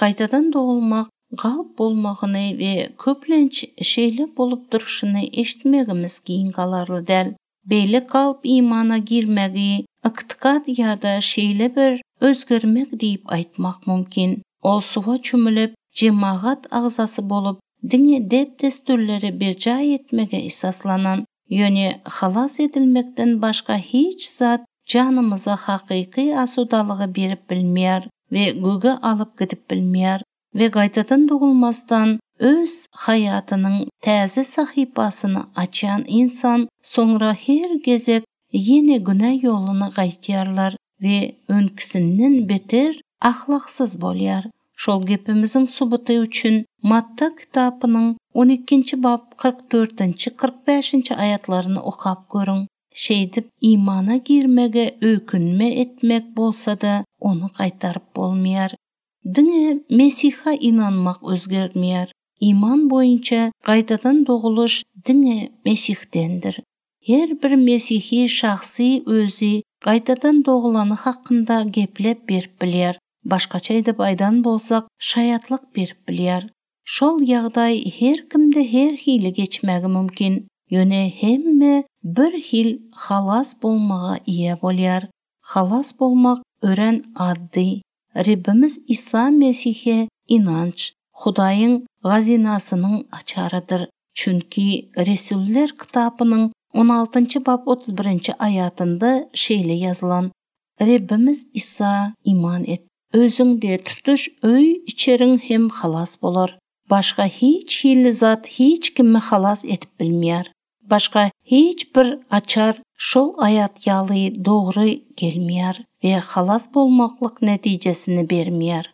Gaýtadan dogulmak galp bolmagyny we köplenç şeýle bolup durşuny eşitmegimiz geň galarly däl. Beýle galp imana girmegi ykdykat ýa-da şeýle bir özgermek diýip aýtmak mümkin. Ol suwa çümülip, jemagat agzasy bolup, diňe däp-dessurlary berjaý etmege esaslanan, ýöne halas edilmekden başga hiç zat janymyza hakyky asudalygy berip bilmeýär we göge alyp gidip bilmeýär. We gaýtadan dogulmazdan öz haýatynyň täze sahypasyny açýan ynsan soňra her gezek ýene günä ýoluna gaýtýarlar we öňküsinden beter ahlaksyz bolýar. Şol gepimiziň subuty üçin Matta kitapynyň on ikinji bap 40 dördünji, 45-nji aýatlaryny okap görüň. Şeýdip imana girmege öýkünme etmek bolsa-da ony gaýtaryp bolmaýar. Diňe Mesihe ynanmak özgertmeýär. Iman boýunça gaýtadan dogulyş diňe Mesihdendir. Her bir mesihi şahsy özi gaýtadan dogulany hakynda geplep berip bilýär, başgaça edip aýdan bolsak, şaýatlyk berip bilýär. Şol ýagdaý her kimde her hili geçmegi mümkin, ýöne hemme bir hil halas bolmaga eýe bolýar. Halas bolmak örän addy. Rebbimiz Isa Mesihe ynanç, Hudaýyň hazynasynyň açarydyr. Çünki Resullar kitapynyň on altynjy bap 31-nji aýatynda şeýle ýazylan, Rebbimiz Isa iman et, özüň-de, tutuş öý-içeriň hem halas bolar. Başga hiç hili zat hiç kimi halas edip bilmeýär. Başga hiç bir açar şol aýat ýaly dogry gelmeýär we halas bolmaklyk netijesini bermeýär.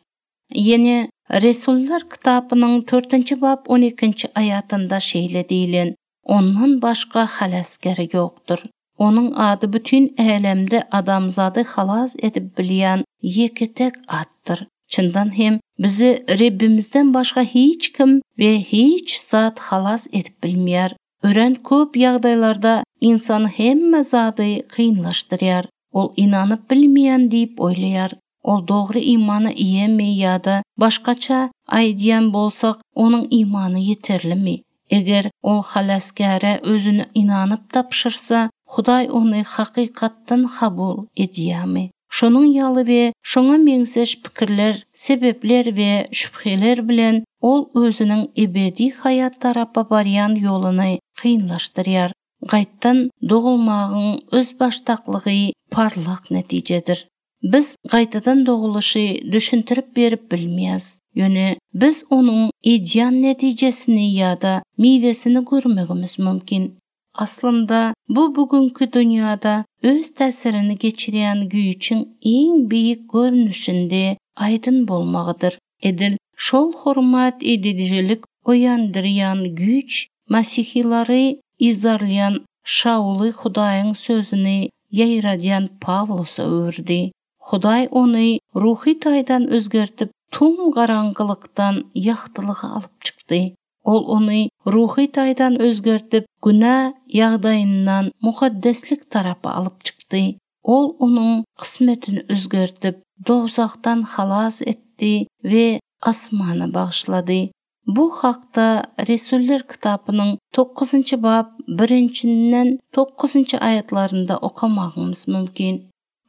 Ýene Resullar kitapynyň törtünji bap on ikinji aýatynda şeýle diýlen, Ondan başga halasger ýokdur. Onuň ady bütin älemde adamzady halas edip bilýän ýeke-täk atdyr. Çyndan hem, bizi Rebbimizden başga hiç kim we hiç zat halas edip bilmeýär. Örän köp ýagdaýlarda ynsan hemme zady kynlaşdyrýar. Ol ynanyp bilmeýän diýip oýlaýar. Ol dogry imana eýemi ýa-da başgaça aýdýan bolsak, onuň imany ýeterlimi? Eger ol Halasgäre özüni ynanyp tabşyrsa, Hudaý ony hakykatdan kabul edýärmi? Şonuň ýaly we şoňa meňzeş pikirler, sebäpler we şübheler bilen ol özüniň ebedi haýat tarapa barýan ýoluny kynlaşdyrýar. Gaýtdan dogulmagyň özbaşdaklygy parlak netijedir. Biz gaýtadan dogulyşy düşündirip berip bilmeýäs, ýöne biz onuň edýän netijesini ýa-da miwesini görmegimiz mümkin. Aslynda, bu bu günki dünýäde öz täsirini geçirýän güýçüň iň beýik görnüşinde aýdyn bolmagydyr. Edil şol hormat edijilik oýandyrýan güýç mesihilary yzarlaýan Şauly Hudaýyň sözüni ýaýradýan Pawlusa öwürdi. Hudaý ony ruhy taýdan özgertip, tüm garaňkylykdan ýagtylyga alyp çykdy. Ol ony ruhy taýdan özgertip, günä ýagdaýyndan mukaddeslik tarapa alyp çykdy. Ol onuň kysmetini özgertip, dowzahdan halas etdi we asmana bagyşlady. Bu hakda Resullar kitapynyň dokuzynjy bap birinjinden dokuzynjy aýatlarynda okamagyňyz mümkin.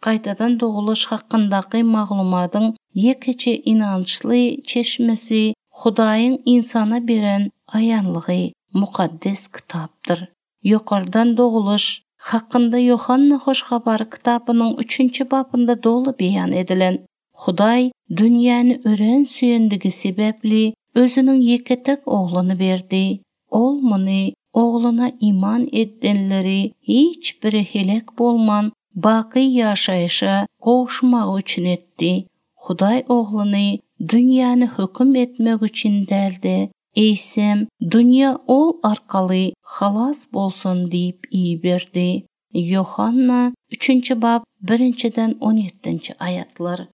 Gaýtadan dogulyş hakyndaky maglumatyň ýekeje ynançly çeşmesi Hudaýyň ynsana beren aýanlygy Mukaddes Kitapdyr. Ýokardan dogulyş hakynda Ýohanna Hoş Habary kitapynyň üçünji bapynda doly beýan edilen. Hudaý dünýäni örän söýendigi sebäpli Özüniň ýeke-täk Ogluny berdi. Ol muny Ogluna iman edenleri hiç biri heläk bolman, baky ýaşaýşa gowuşmagy üçin etdi. Hudaý Ogluny dünýäni höküm etmek üçin däl-de, eýsem, dünýä Ol arkaly halas bolsun diýip iberdi. Ýohanna, üçünji bap, birinjiden on ýedinji aýatlar.